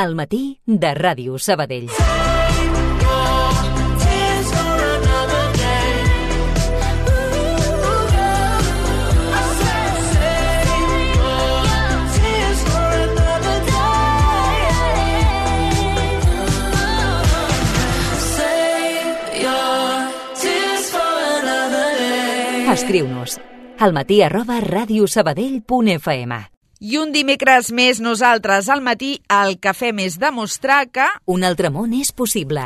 Al matí de Ràdio Sabadell. Escriu-nos almatí@radiosabadell.fm. I un dimecres més nosaltres al matí el que fem és demostrar que un altre món és possible.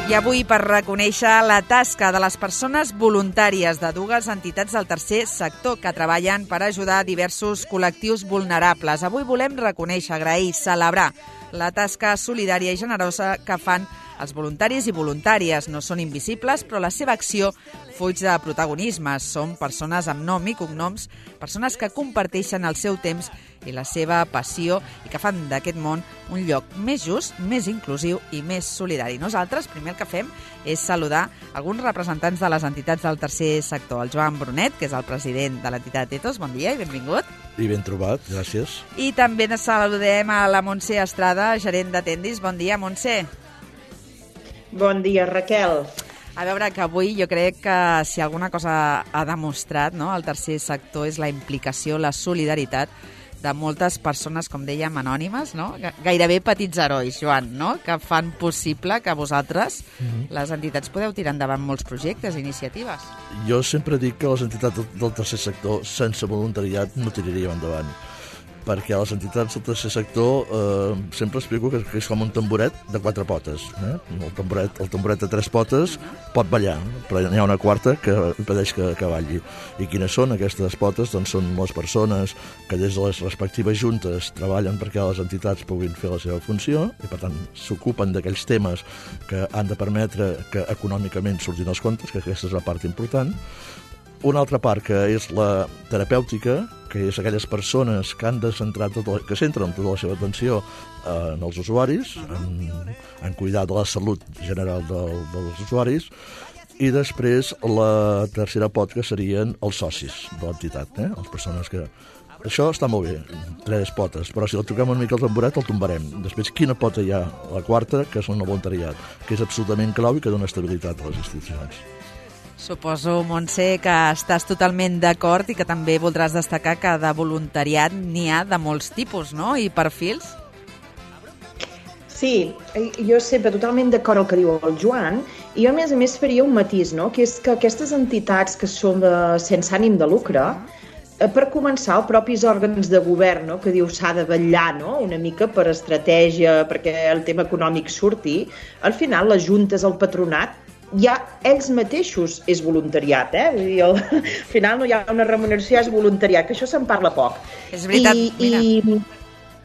I avui, per reconèixer la tasca de les persones voluntàries de dues entitats del tercer sector que treballen per ajudar diversos col·lectius vulnerables. Avui volem reconèixer, agrair, celebrar la tasca solidària i generosa que fan els voluntaris i voluntàries. No són invisibles, però la seva acció fuig de protagonismes. Són persones amb nom i cognoms, persones que comparteixen el seu temps i la seva passió i que fan d'aquest món un lloc més just, més inclusiu i més solidari. Nosaltres, primer el que fem és saludar alguns representants de les entitats del tercer sector. El Joan Brunet, que és el president de l'entitat Ethos. Bon dia i benvingut. I ben trobat, gràcies. I també saludem a la Montse Estrada, gerent d'Atendis. Bon dia, Montse. Bon dia, Raquel. A veure, que avui jo crec que si alguna cosa ha demostrat, no, el tercer sector és la implicació, la solidaritat de moltes persones, com dèiem, anònimes, no? Gairebé petits herois, Joan, no? Que fan possible que vosaltres, les entitats, podeu tirar endavant molts projectes i iniciatives. Jo sempre dic que les entitats del tercer sector sense voluntariat no tiraríem endavant, perquè les entitats del tercer sector sempre explico que és com un tamboret de 4 potes. El tamboret de 3 potes pot ballar, però n'hi ha una quarta que impedeix que balli. I quines són aquestes potes? Doncs són les persones que des de les respectives juntes treballen perquè les entitats puguin fer la seva funció i, per tant, s'ocupen d'aquells temes que han de permetre que econòmicament surtin els comptes, que aquesta és la part important. Una altra part, que és la terapèutica, que és aquelles persones que han de centrar que centren tota la seva atenció en els usuaris, en cuidar de la salut general dels usuaris, i després la tercera pot, que serien els socis de l'entitat, les persones que... Això està molt bé, 3 potes, però si el toquem una mica el tamboret el tombarem. Després, quina pota hi ha? La quarta, que és el voluntariat, que és absolutament clau i que dona estabilitat a les institucions. Suposo, Montse, que estàs totalment d'acord i que també voldràs destacar que de voluntariat n'hi ha de molts tipus, no? I perfils? Sí, jo sempre totalment d'acord el que diu el Joan, i jo, a més, faria un matís, no? Que és que aquestes entitats que són sense ànim de lucre, per començar, els propis òrgans de govern, no? Que diu s'ha de vetllar, no? Una mica per estratègia, perquè el tema econòmic surti, al final les juntes, el patronat, ja ells mateixos és voluntariat, Vull dir, al final no hi ha una remuneració, és voluntariat, que això se'n parla poc. És veritat, mira,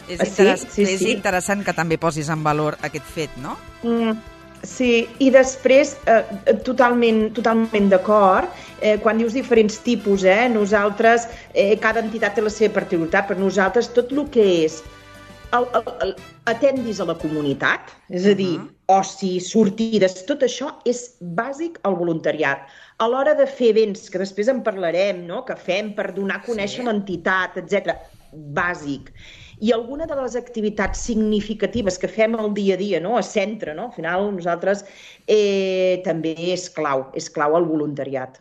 és interessant que també posis en valor aquest fet, no? Sí, i després, totalment d'acord, quan dius diferents tipus, nosaltres, cada entitat té la seva particularitat, per nosaltres tot el que és atendis a la comunitat, és a dir, oci, sortides, tot això és bàsic al voluntariat. A l'hora de fer events, que després en parlarem, no? Que fem per donar a conèixer l'entitat, etc., bàsic. I alguna de les activitats significatives que fem al dia a dia, no? A centre, no? Al final, nosaltres també és clau el voluntariat.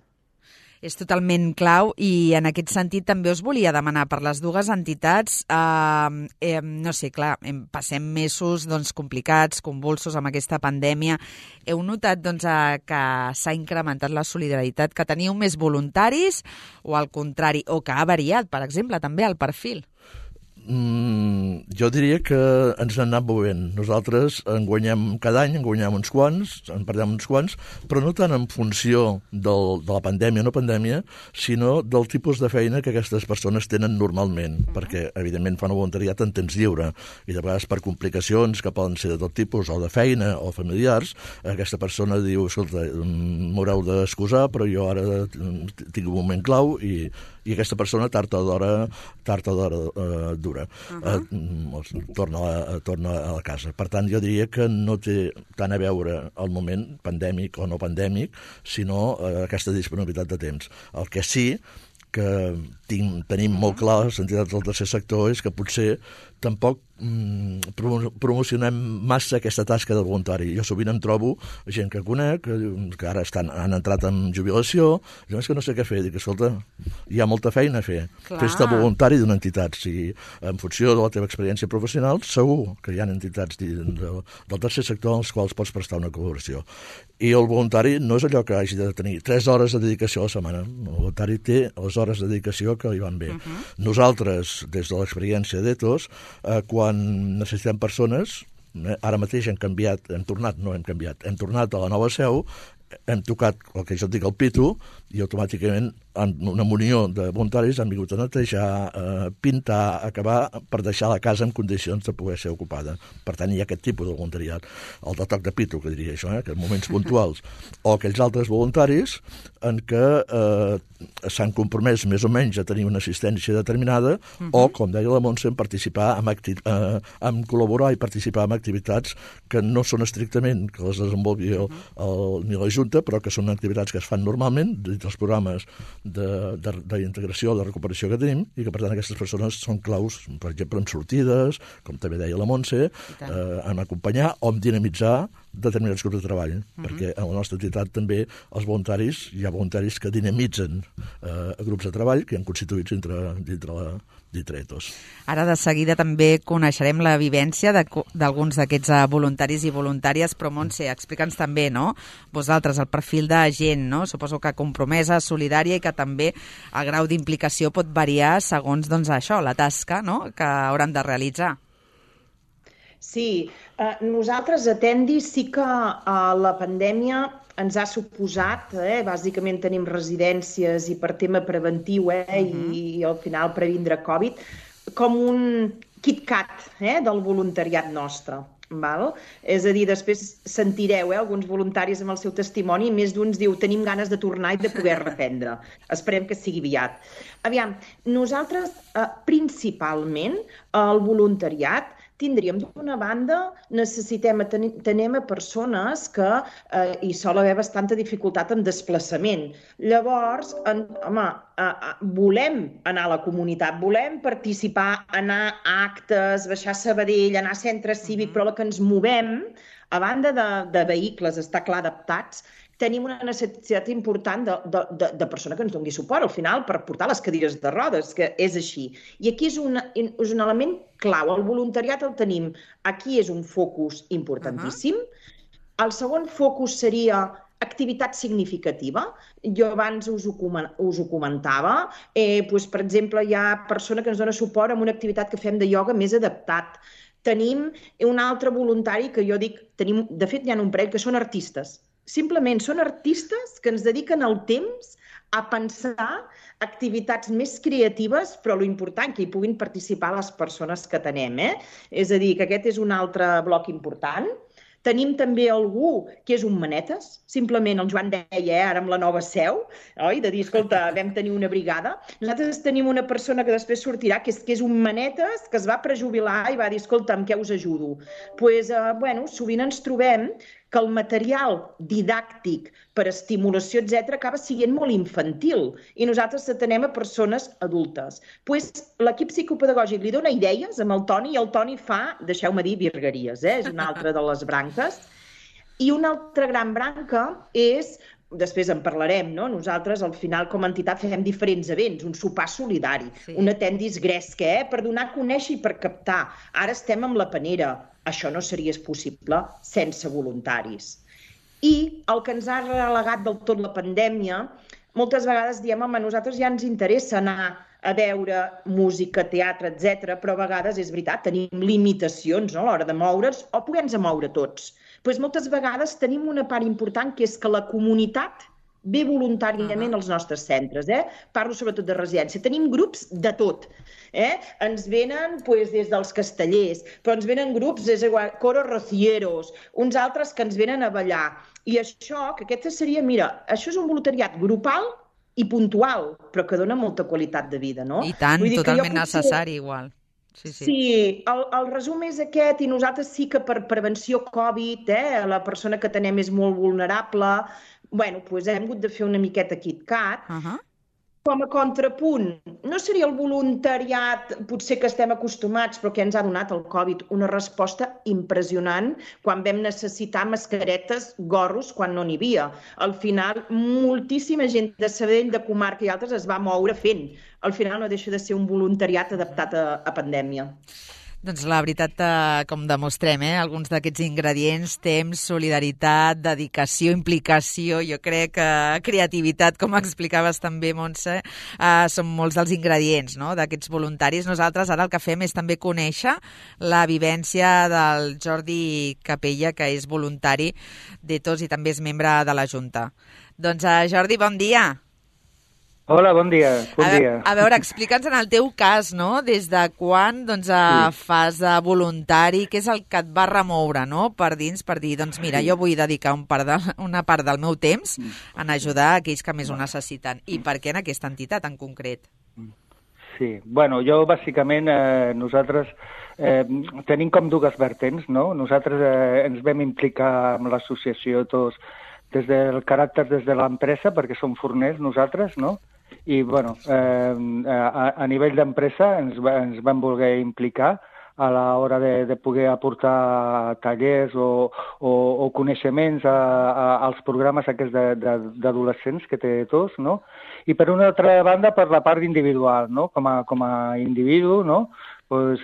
És totalment clau i en aquest sentit també us volia demanar per les dues entitats, no sé, clar, passem mesos complicats, convulsos amb aquesta pandèmia. Heu notat que s'ha incrementat la solidaritat, que teniu més voluntaris o al contrari, o que ha variat, per exemple, també el perfil? Jo diria que ens n'han anat movent. Nosaltres en guanyem cada any, en guanyem uns quants, en perdem uns quants, però no tant en funció de la pandèmia o no pandèmia, sinó del tipus de feina que aquestes persones tenen normalment, perquè evidentment fan el voluntariat en temps lliure i de vegades per complicacions que poden ser de tot tipus, o de feina o familiars, aquesta persona diu, escolta, m'haureu d'excusar, però jo ara tinc un moment clau i aquesta persona tard o d'hora dura. veure, torna a la casa. Per tant, jo diria que no té tant a veure el moment pandèmic o no pandèmic, sinó aquesta disponibilitat de temps. El que sí que tenim molt clar les entitats del tercer sector és que potser tampoc promocionem massa aquesta tasca de voluntari. Jo sovint em trobo gent que conec, que ara han entrat en jubilació, i és que no sé què fer. Dic, escolta, hi ha molta feina a fer. Fes-te voluntari d'una entitat. Si en funció de la teva experiència professional, segur que hi ha entitats del tercer sector als quals pots prestar una col·laboració. I el voluntari no és allò que hagi de tenir 3 hores de dedicació a la setmana. El voluntari té les hores de dedicació que li van bé. Nosaltres, des de l'experiència d'Ethos, quan necessitem persones, ara mateix hem tornat a la nova seu, hem tocat el que jo dic el pitu i automàticament una munió de voluntaris han vingut a netejar, pintar, acabar per deixar la casa en condicions de poder ser ocupada. Per tant, hi ha aquest tipus de voluntariat. El de toc de pitu, que diria això, que en moments puntuals. O aquells altres voluntaris en què s'han compromès més o menys a tenir una assistència determinada o, com deia la Montse, en col·laborar i participar en activitats que no són estrictament que les desenvolupi ni la Junta, però que són activitats que es fan normalment dins dels programes d'integració, de recuperació que tenim, i que per tant aquestes persones són claus, per exemple, en sortides, com també deia la Montse, en acompanyar o en dinamitzar determinats grups de treball, perquè a la nostra entitat també hi ha voluntaris que dinamitzen grups de treball que han constituïts dintre Ethos. Ara de seguida també coneixerem la vivència d'alguns d'aquests voluntaris i voluntàries, però Montse, explica'ns també, no?, vosaltres, el perfil de gent, no?, suposo que compromesa, solidària i que també el grau d'implicació pot variar segons, doncs, això, la tasca, no?, que hauran de realitzar. Sí, nosaltres a Tendi sí que la pandèmia ens ha suposat, bàsicament tenim residències i per tema preventiu i al final previndre Covid, com un KitKat del voluntariat nostre. Val? És a dir, després sentireu alguns voluntaris amb el seu testimoni i més d'uns diu tenim ganes de tornar i de poder reprendre. Esperem que sigui aviat. Aviam, nosaltres principalment el voluntariat tindríem d'una banda, tenem persones que hi sol haver bastanta dificultat en desplaçament. Llavors, volem anar a la comunitat, volem participar, anar a actes, baixar a Sabadell, anar a centre cívic, però el que ens movem, a banda de vehicles, està clar, adaptats, tenim una necessitat important de persona que ens doni suport, al final, per portar les cadires de rodes, que és així. I aquí és un element clau. El voluntariat el tenim. Aquí és un focus importantíssim. El segon focus seria activitat significativa. Jo abans us ho comentava. Per exemple, hi ha persona que ens dona suport en una activitat que fem de ioga més adaptat. Tenim un altre voluntari que jo dic, de fet, hi ha un parell que són artistes. Simplement són artistes que ens dediquen el temps a pensar activitats més creatives, però l'important que hi puguin participar les persones que tenem. És a dir, que aquest és un altre bloc important. Tenim també algú que és un manetes, simplement el Joan deia ara amb la nova seu, oi? De dir, escolta, vam tenir una brigada. Nosaltres tenim una persona que després sortirà, que és un manetes, que es va prejubilar i va dir, escolta, amb què us ajudo? Doncs, sovint ens trobem que el material didàctic per estimulació, etc., acaba sent molt infantil i nosaltres atenem a persones adultes. L'equip psicopedagògic li dona idees amb el Toni i el Toni fa, deixeu-me dir, virgueries, és una altra de les branques. I una altra gran branca és, després en parlarem, no? Nosaltres al final com a entitat fem diferents events, un sopar solidari, una tendis gresca, per donar a conèixer i per captar. Ara estem amb la panera. Això no seria possible sense voluntaris. I el que ens ha relegat del tot la pandèmia, moltes vegades diem, a nosaltres ja ens interessa anar a veure música, teatre, etc., però a vegades és veritat, tenim limitacions a l'hora de moure'ns o poder-nos moure tots. Doncs moltes vegades tenim una part important que és que la comunitat ve voluntàriament als nostres centres. Parlo sobretot de residència. Tenim grups de tot. Ens venen des dels castellers, però ens venen grups, coros rocieros, uns altres que ens venen a ballar. I això, que aquesta seria, mira, això és un voluntariat grupal i puntual, però que dona molta qualitat de vida, no? I tant, totalment necessari igual. Sí, el resum és aquest, i nosaltres sí que per prevenció Covid, la persona que tenem és molt vulnerable, bueno, doncs hem hagut de fer una miqueta KitKat. Com a contrapunt, no seria el voluntariat, potser que estem acostumats, però que ens ha donat el Covid una resposta impressionant quan vam necessitar mascaretes, gorros, quan no n'hi havia. Al final, moltíssima gent de Sabadell, de comarca i altres es va moure fent. Al final no deixa de ser un voluntariat adaptat a pandèmia. Doncs la veritat, com demostrem, alguns d'aquests ingredients, temps, solidaritat, dedicació, implicació, jo crec que creativitat, com explicaves també, Montse, són molts dels ingredients, no?, d'aquests voluntaris. Nosaltres ara el que fem és també conèixer la vivència del Jordi Capella, que és voluntari d'Ethos i també és membre de la Junta. Doncs, Jordi, bon dia. Hola, bon dia. A veure, explica'ns en el teu cas, no?, des de quan fas de voluntari, què és el que et va remoure, no?, per dins, per dir, doncs mira, jo vull dedicar una part del meu temps en ajudar aquells que més ho necessiten. I per què en aquesta entitat en concret? Sí, bueno, jo bàsicament nosaltres tenim com dues vertents, no? Nosaltres ens vam implicar amb l'associació tots des del caràcter des de l'empresa, perquè som forners nosaltres, no? I, bueno, a nivell d'empresa ens vam voler implicar a l'hora de poder aportar tallers o coneixements als programes aquests d'adolescents que té tots, no? I per una altra banda, per la part individual, no? Com a individu, no? Pues,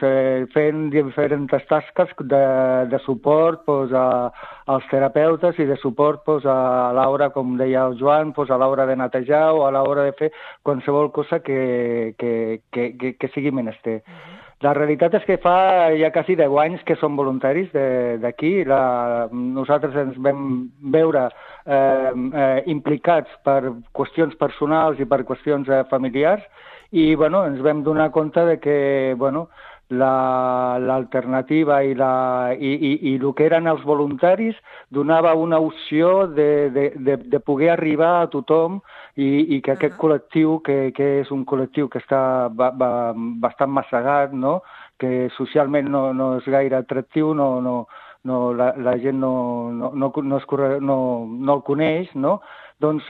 fent diferents tasques de suport als terapeutes i de suport a l'hora, com deia el Joan, a l'hora de netejar o a l'hora de fer qualsevol cosa que sigui menester. La realitat és que fa ja quasi 10 anys que som voluntaris d'aquí. Nosaltres ens vam veure implicats per qüestions personals i per qüestions familiars i bueno, ens vam donar compte de que bueno, l'alternativa i el que eren els voluntaris donava una opció de poder arribar a tothom i que aquest col·lectiu, que és un col·lectiu que està bastant massegat, no? Que socialment no és gaire atractiu, la gent no el coneix, no? Doncs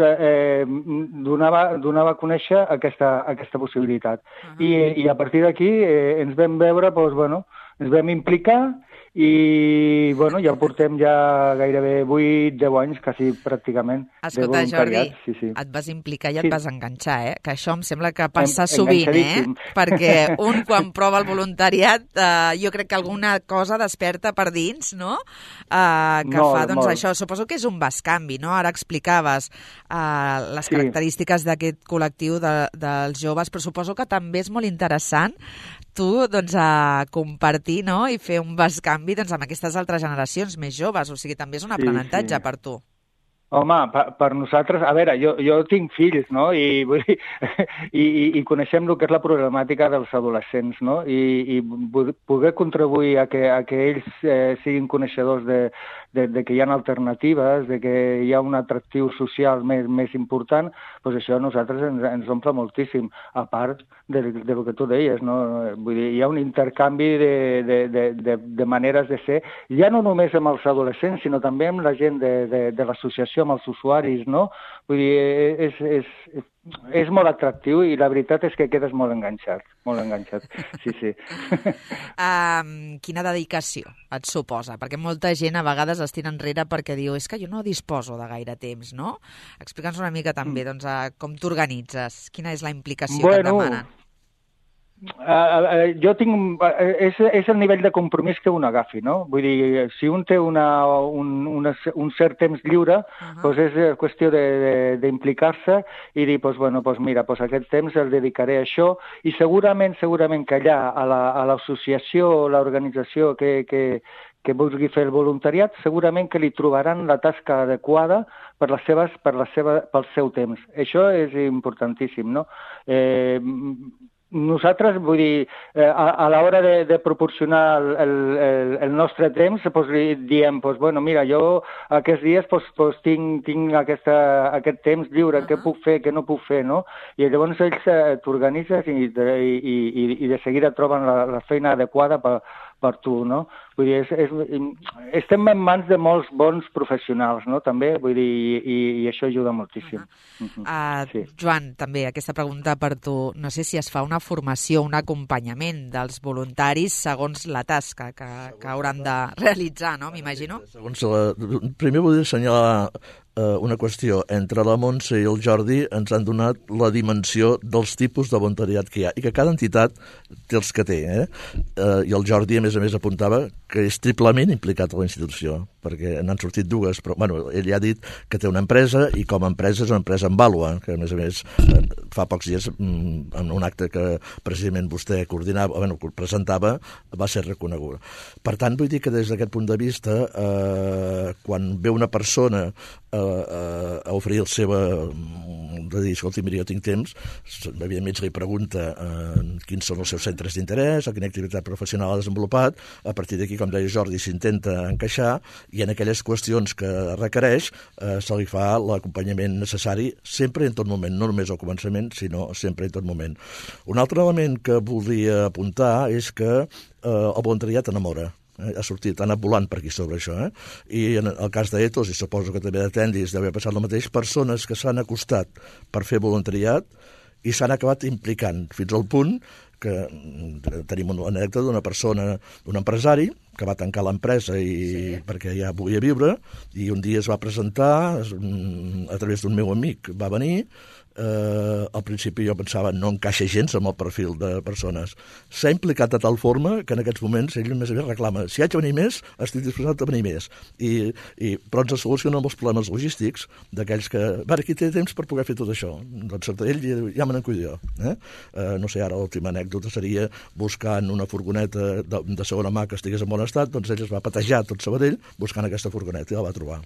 donava a conèixer aquesta possibilitat. I a partir d'aquí ens vam veure, ens vam implicar i ja portem gairebé 8-10 anys, quasi pràcticament, de voluntariat. Jordi, et vas implicar i et vas enganxar, que això em sembla que passa sovint, perquè un quan prova el voluntariat jo crec que alguna cosa desperta per dins, no?, que fa, doncs això, suposo que és un bescanvi, no? Ara explicaves les característiques d'aquest col·lectiu dels joves, però suposo que també és molt interessant tu, doncs, a compartir, no?, i fer un bescanvi, doncs, amb aquestes altres generacions més joves, o sigui, també és un aprenentatge per tu. Home, per nosaltres, a veure, jo tinc fills, no?, i coneixem el que és la problemàtica dels adolescents, no?, i poder contribuir a que ells siguin coneixedors de que hi ha alternatives, de que hi ha un atractiu social més important, doncs això a nosaltres ens omple moltíssim, a part del que tu deies, no? Vull dir, hi ha un intercanvi de maneres de ser, ja no només amb els adolescents, sinó també amb la gent de l'associació, amb els usuaris, no? Vull dir, és molt atractiu i la veritat és que quedes molt enganxat, sí. Quina dedicació et suposa? Perquè molta gent a vegades es tira enrere perquè diu és que jo no disposo de gaire temps, no? Explica'ns una mica també com t'organitzes, quina és la implicació que et demanen. Jo tinc... És el nivell de compromís que un agafi, no? Vull dir, si un té un cert temps lliure, doncs és qüestió d'implicar-se i dir, mira, aquest temps el dedicaré a això i segurament que allà, a l'associació o l'organització que vulgui fer el voluntariat, segurament que li trobaran la tasca adequada pel seu temps. Això és importantíssim, no? nosaltres, vull dir, a l'hora de proporcionar el nostre temps, diem, bueno, mira, jo aquests dies tinc aquest temps lliure, què puc fer, què no puc fer, no? I llavors ells t'organitzes i de seguida troben la feina adequada per tu, no? Vull dir, estem en mans de molts bons professionals, no?, també, vull dir, i això ajuda moltíssim. Joan, també aquesta pregunta per tu. No sé si es fa una formació, un acompanyament dels voluntaris segons la tasca que hauran de realitzar, no?, m'imagino. Primer vull assenyalar una qüestió. Entre la Montse i el Jordi ens han donat la dimensió dels tipus de voluntariat que hi ha i que cada entitat té els que té. I el Jordi, a més, apuntava que és triplement implicat a la institució, perquè n'han sortit dues, però ell ja ha dit que té una empresa i com a empresa és una empresa en vàlua, que a més fa pocs dies en un acte que precisament vostè presentava va ser reconeguda. Per tant, vull dir que des d'aquest punt de vista, quan ve una persona a oferir el seu de dir, escolti, mira, jo tinc temps, evidentment li pregunta quins són els seus centres d'interès, quina activitat professional ha desenvolupat, a partir d'aquí, com deia Jordi, s'intenta encaixar i en aquelles qüestions que requereix se li fa l'acompanyament necessari sempre i en tot moment, no només al començament, sinó sempre i en tot moment. Un altre element que voldria apuntar és que el voluntariat enamora. Ha sortit, ha anat volant per aquí sobre això, i en el cas d'Ethos, i suposo que també d'Atendis deu haver passat el mateix, persones que s'han acostat per fer voluntariat i s'han acabat implicant fins al punt que tenim una anècdota d'una persona, d'un empresari que va tancar l'empresa perquè ja volia viure, i un dia es va presentar a través d'un meu amic, va venir. Al principi jo pensava no encaixa gens amb el perfil de persones. S'ha implicat de tal forma que en aquests moments ell més reclama, si haig de venir més, estic disposat a venir més. Però ens solucionen els problemes logístics d'aquells que, qui té temps per poder fer tot això? Doncs ell ja me n'encuido jo. No sé, ara l'última anècdota seria buscant una furgoneta de segona mà que estigués en bon estat, doncs ell es va patejar tot Sabadell buscant aquesta furgoneta i la va trobar.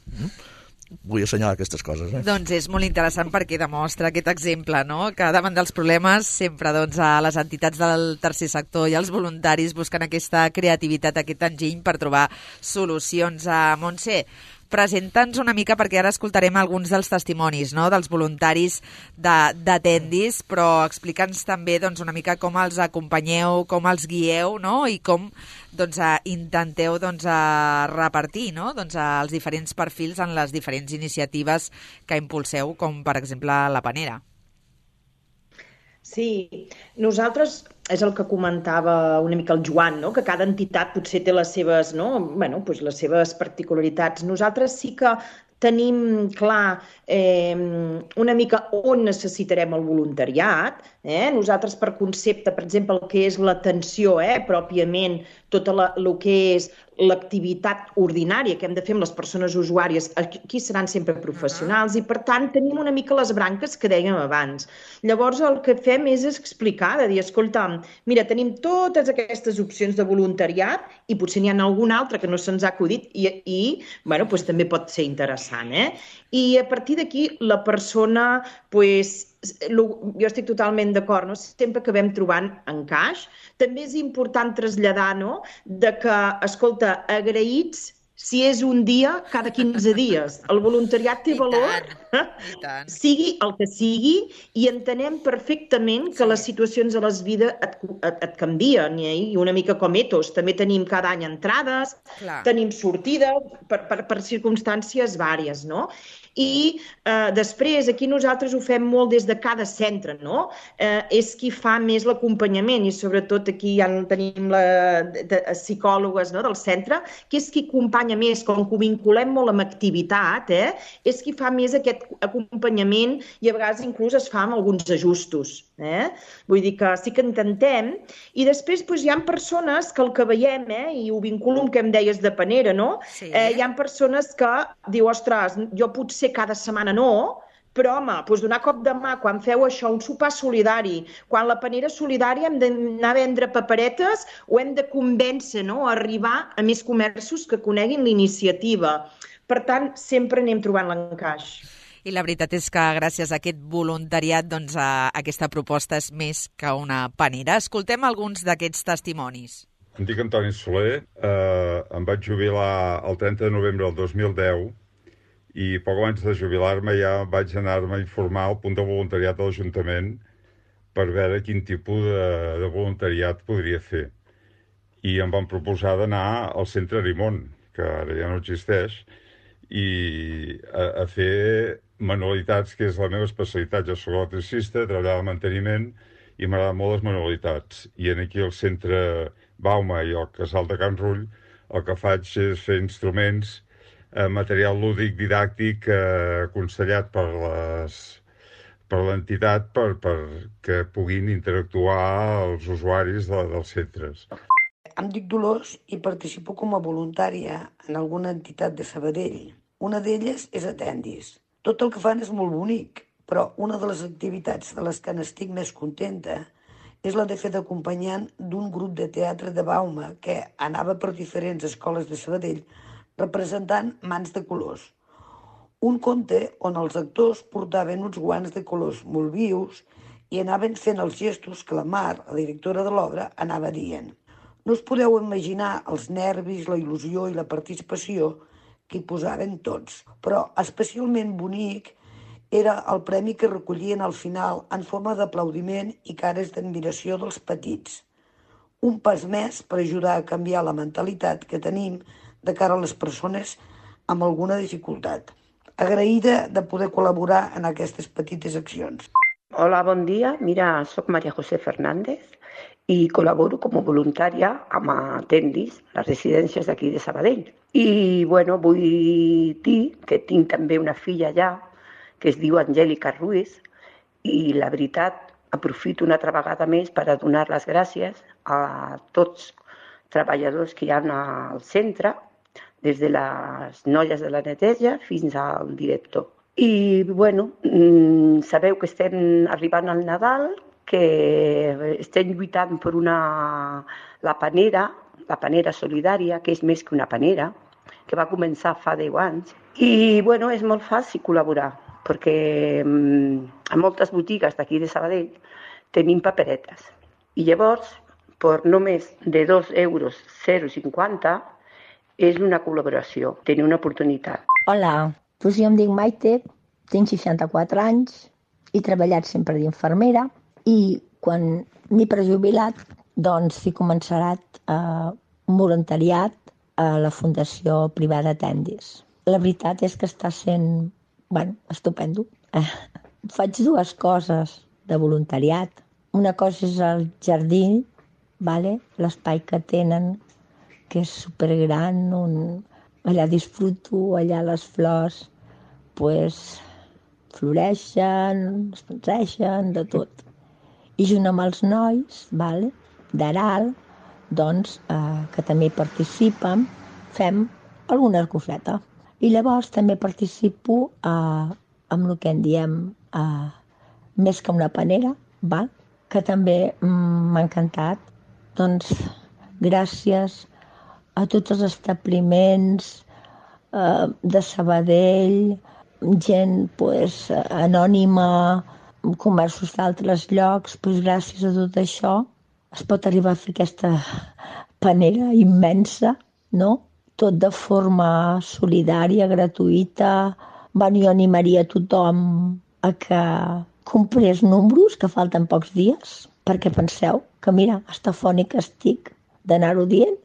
Vull assenyalar aquestes coses. Doncs és molt interessant perquè demostra aquest exemple, no?, que davant dels problemes sempre a les entitats del tercer sector i els voluntaris busquen aquesta creativitat, aquest enginy per trobar solucions. Montse, presenta'ns una mica, perquè ara escoltarem alguns dels testimonis, no?, dels voluntaris d'Atendis, però explica'ns també una mica com els acompanyeu, com els guieu, no?, i com intenteu repartir, no?, els diferents perfils en les diferents iniciatives que impulseu, com per exemple la Panera. Sí, nosaltres, és el que comentava una mica el Joan, no?, que cada entitat potser té les seves, les seves particularitats. Nosaltres sí que tenim clar una mica on necessitarem el voluntariat. Nosaltres, per concepte, per exemple, el que és l'atenció, pròpiament, tot el que és l'activitat ordinària que hem de fer amb les persones usuàries, aquí seran sempre professionals i, per tant, tenim una mica les branques que dèiem abans. Llavors, el que fem és explicar, de dir, escolta, mira, tenim totes aquestes opcions de voluntariat i potser n'hi ha alguna altra que no se'ns ha acudit i també pot ser interessant. I a partir d'aquí, la persona, jo estic totalment d'acord, sempre que vam trobant encaix. També és important traslladar que, escolta, agraïts si és un dia cada 15 dies. El voluntariat té valor, sigui el que sigui, i entenem perfectament que les situacions de les vides et canvien. I una mica com Ethos, també tenim cada any entrades, tenim sortides per circumstàncies vàries, no? I després, aquí nosaltres ho fem molt des de cada centre, no? És qui fa més l'acompanyament i sobretot aquí ja tenim psicòlogues del centre, que és qui acompanya més, com que ho vinculem molt amb activitat, és qui fa més aquest acompanyament i a vegades inclús es fa amb alguns ajustos. Vull dir que sí que intentem. I després hi ha persones que el que veiem, i ho vinculo amb que em deies de Panera, no? Hi ha persones que diu, ostres, jo potser cada setmana no, però, home, donar cop de mà quan feu això, un sopar solidari, quan la Panera solidària hem d'anar a vendre paperetes o hem de convèncer, a arribar a més comerços que coneguin l'iniciativa. Per tant, sempre anem trobant l'encaix. I la veritat és que gràcies a aquest voluntariat doncs, aquesta proposta és més que una panera. Escoltem alguns d'aquests testimonis. Em dic Antoni Soler, em vaig jubilar el 30 de novembre del 2010 i poc abans de jubilar-me ja vaig anar-me a informar al punt de voluntariat de l'Ajuntament per veure quin tipus de voluntariat podria fer. I em van proposar d'anar al Centre Arimon, que ara ja no existeix, i a fer manualitats, que és la meva especialitat. Jo soc electricista, treballar al manteniment i m'agraden molt les manualitats. I aquí al centre Bauma i al casal de Can Rull el que faig és fer instruments, material lúdic didàctic aconsellat per l'entitat perquè puguin interactuar els usuaris dels centres. Em dic Dolors i participo com a voluntària en alguna entitat de Sabadell. Una d'elles és Atendis. Tot el que fan és molt bonic, però una de les activitats de les que n'estic més contenta és la de fer d'acompanyant d'un grup de teatre de Bauma que anava per diferents escoles de Sabadell representant Mans de colors. Un conte on els actors portaven uns guants de colors molt vius i anaven fent els gestos que la Mar, la directora de l'obra, anava dient. No us podeu imaginar els nervis, la il·lusió i la participació que hi posaven tots, però especialment bonic era el premi que recollien al final en forma d'aplaudiment i cares d'admiració dels petits. Un pas més per ajudar a canviar la mentalitat que tenim de cara a les persones amb alguna dificultat. Agraïda de poder col·laborar en aquestes petites accions. Hola, bon dia. Mira, soc Maria José Fernández i col·laboro com a voluntària amb Atendis, les residències d'aquí de Sabadell. I, bueno, vull dir que tinc també una filla allà que es diu Angèlica Ruiz i, la veritat, aprofito una altra vegada més per a donar les gràcies a tots treballadors que hi ha al centre, des de les noies de la neteja fins al director. I, bueno, sabeu que estem arribant al Nadal, que estem lluitant per la panera solidària, que és més que una panera, que va començar fa 10 anys. I, bueno, és molt fàcil col·laborar, perquè a moltes botigues d'aquí de Sabadell tenim paperetes. I llavors, per només de 2,50 € és una col·laboració, tenir una oportunitat. Hola, doncs jo em dic Maite, tinc 64 anys, he treballat sempre d'infermera i quan m'he prejubilat, doncs he començat un voluntariat a la Fundació Privada Atendis. La veritat és que està sent, estupendo. Faig 2 coses de voluntariat. Una cosa és el jardí, l'espai que tenen, que és supergran, allà disfruto, allà les flors floreixen, es penseixen, de tot. I junt amb els nois d'Aral, doncs, que també participen, fem alguna coseta. I llavors també participo amb el que en diem més que una panera, que també m'ha encantat. Doncs gràcies a tots els establiments de Sabadell, gent anònima, comerços d'altres llocs, gràcies a tot això es pot arribar a fer aquesta panera immensa, no? Tot de forma solidària, gratuïta. Jo animaria tothom a que comprés números, que falten pocs dies, perquè penseu que, mira, estafònica estic d'anar-ho dient.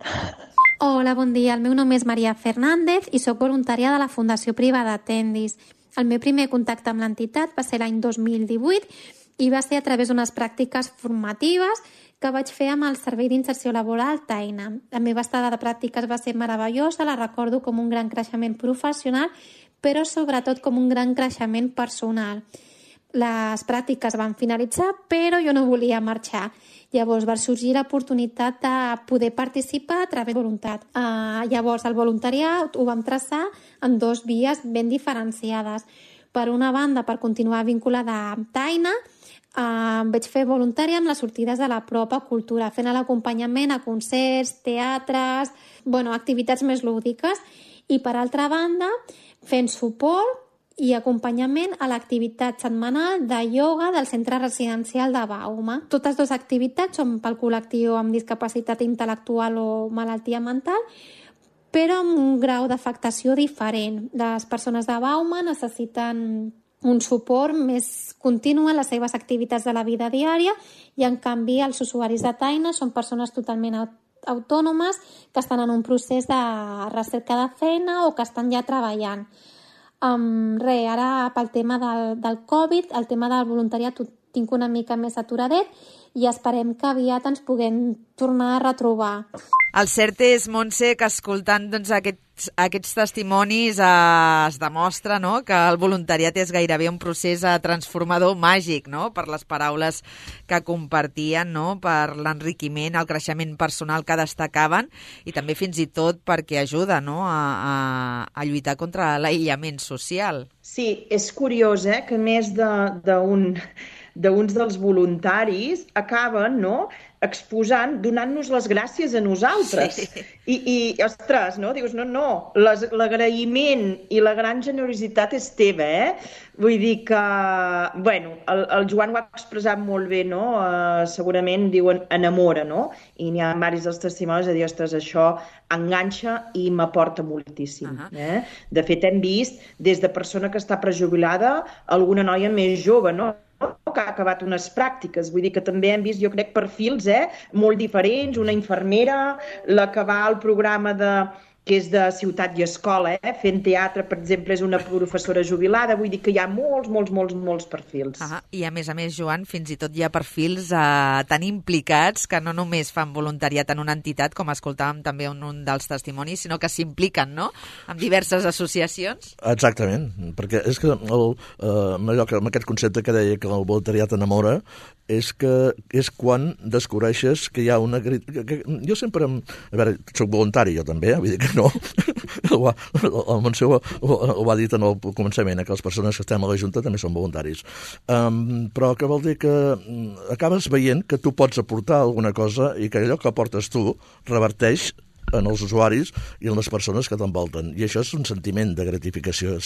Hola, bon dia. El meu nom és Maria Fernández i soc voluntària de la Fundació Privada Atendis. El meu primer contacte amb l'entitat va ser l'any 2018 i va ser a través d'unes pràctiques formatives que vaig fer amb el Servei d'Inserció Laboral Taina. La meva estada de pràctiques va ser meravellosa, la recordo com un gran creixement professional, però sobretot com un gran creixement personal. Les pràctiques van finalitzar, però jo no volia marxar. Llavors va sorgir l'oportunitat de poder participar a través de voluntat. Llavors el voluntariat ho vam traçar en 2 vies ben diferenciades. Per una banda, per continuar vinculada amb Taina, vaig fer voluntària amb les sortides de la pròpia cultura, fent l'acompanyament a concerts, teatres, activitats més lúdiques. I per altra banda, fent suport i acompanyament a l'activitat setmanal de ioga del centre residencial de Bauma. Totes dues activitats són pel col·lectiu amb discapacitat intel·lectual o malaltia mental, però amb un grau d'afectació diferent. Les persones de Bauma necessiten un suport més continu en les seves activitats de la vida diària i, en canvi, els usuaris de Taina són persones totalment autònomes que estan en un procés de recerca de feina o que estan ja treballant. Ara, pel tema del Covid, el tema del voluntariat ho tinc una mica més aturadet i esperem que aviat ens puguem tornar a retrobar. El cert és, Montse, que escoltant aquests testimonis es demostra, no?, que el voluntariat és gairebé un procés transformador màgic, no?, per les paraules que compartien, no?, per l'enriquiment, el creixement personal que destacaven i també fins i tot perquè ajuda, no?, a lluitar contra l'aïllament social. Sí, és curiós, que més d'uns dels voluntaris acaben, no?, exposant, donant-nos les gràcies a nosaltres. Sí. I ostres, no? Dius, no, l'agraïment i la gran generositat és teva, Vull dir que, bueno, el Joan ho ha expressat molt bé, no? Segurament diuen enamora, no? I n'hi ha diversos dels testimonis a dir, ostres, això enganxa i m'aporta moltíssim. De fet, hem vist des de persona que està prejubilada alguna noia més jove, no?, que ha acabat unes pràctiques. Vull dir que també hem vist, jo crec, perfils molt diferents. Una infermera, la que va al programa que és de Ciutat i Escola, fent teatre, per exemple, és una professora jubilada. Vull dir que hi ha molts perfils. I a més, Joan, fins i tot hi ha perfils tan implicats que no només fan voluntariat en una entitat, com escoltàvem també en un dels testimonis, sinó que s'impliquen, no?, amb diverses associacions. Exactament, perquè és que amb aquest concepte que deia que el voluntariat enamora, és quan descobreixes que hi ha una... Jo sempre... A veure, soc voluntari jo també, vull dir que no. El Montse ho va dir en el començament, que les persones que estem a la Junta també són voluntaris. Però que vol dir que acabes veient que tu pots aportar alguna cosa i que allò que aportes tu reverteix en els usuaris i en les persones que t'envolten. I això és un sentiment de gratificació.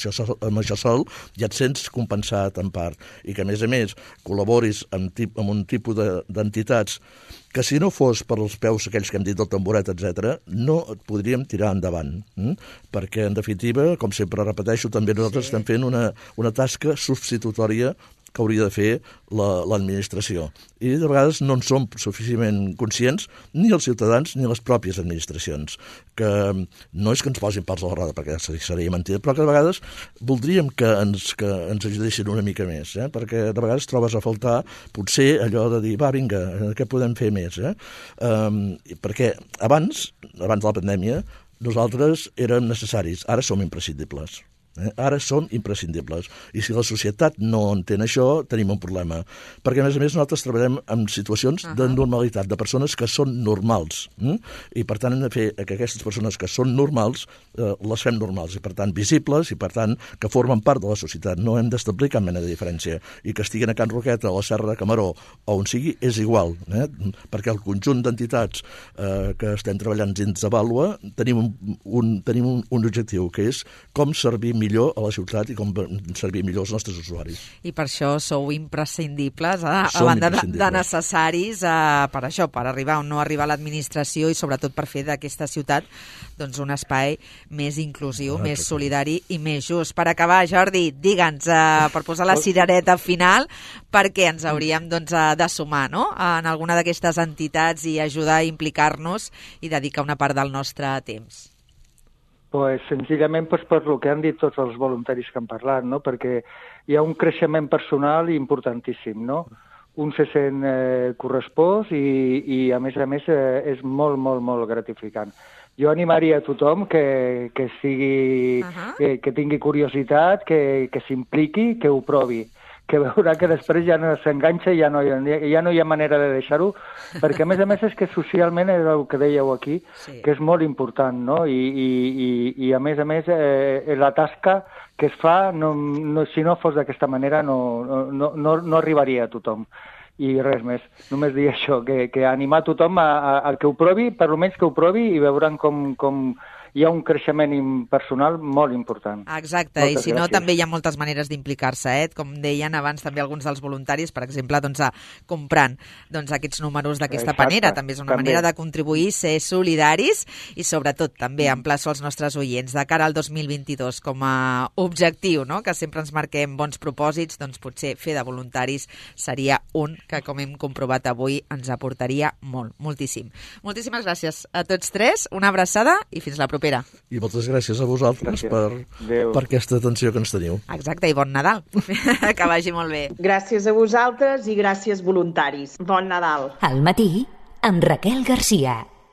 Amb això sol ja et sents compensat en part. I que, a més, col·laboris amb un tipus d'entitats que si no fos per els peus aquells que hem dit del tamboret, etc., no et podríem tirar endavant. Perquè, en definitiva, com sempre repeteixo, també nosaltres estem fent una tasca substitutòria que hauria de fer l'administració. I de vegades no en som suficientment conscients ni els ciutadans ni les pròpies administracions, que no és que ens posin pals a la roda, perquè seria mentida, però que de vegades voldríem que ens ajudessin una mica més, perquè de vegades trobes a faltar potser allò de dir, va, vinga, què podem fer més? Perquè abans de la pandèmia, nosaltres érem necessaris, ara som imprescindibles. Ara són imprescindibles. I si la societat no entén això, tenim un problema. Perquè, a més, nosaltres treballem en situacions de normalitat, de persones que són normals. I, per tant, hem de fer que aquestes persones que són normals les fem normals, i, per tant, visibles, i, per tant, que formen part de la societat. No hem d'establir cap mena de diferència. I que estiguin a Can Roqueta, a la Serra de Camaró, o on sigui, és igual. Perquè el conjunt d'entitats que estem treballant dins de Vàlua tenim un objectiu, que és com servir millor a la ciutat i com servir millor els nostres usuaris. I per això sou imprescindibles, a banda de necessaris, per això, per arribar o no arribar a l'administració i sobretot per fer d'aquesta ciutat doncs, un espai més inclusiu, més solidari i més just. Per acabar, Jordi, digue'ns, per posar la cirereta final, perquè ens hauríem de sumar, no?, en alguna d'aquestes entitats i ajudar a implicar-nos i dedicar una part del nostre temps. Pues senzillament per el que han dit tots els voluntaris que han parlat, no? Perquè hi ha un creixement personal importantíssim, no? Un se sent correspost i a més, és molt gratificant. Jo animaria a tothom que tingui curiositat, que s'impliqui, que ho provi, que veurà que després ja no s'enganxa i ja no hi ha manera de deixar-ho, perquè a més és que socialment és el que dèieu aquí, que és molt important, no? I a més la tasca que es fa, si no fos d'aquesta manera, no arribaria a tothom. I res més, només dir això, que animar tothom a que ho provi, per almenys que ho provi, i veuran com hi ha un creixement personal molt important. Exacte, Moltes i si no gràcies. també hi ha moltes maneres d'implicar-se, com deien abans també alguns dels voluntaris, per exemple, comprant aquests números d'aquesta manera, també és una manera de contribuir, ser solidaris i sobretot també emplaço als nostres oients de cara al 2022 com a objectiu, no? Que sempre ens marquem bons propòsits, doncs potser fer de voluntaris seria un que, com hem comprovat avui, ens aportaria moltíssim. Moltíssimes gràcies a tots tres, una abraçada i fins la propera. I moltes gràcies a vosaltres per aquesta atenció que ens teniu. Exacte, i bon Nadal. Que vagi molt bé. Gràcies a vosaltres i gràcies voluntaris. Bon Nadal. Al matí, amb Raquel Garcia.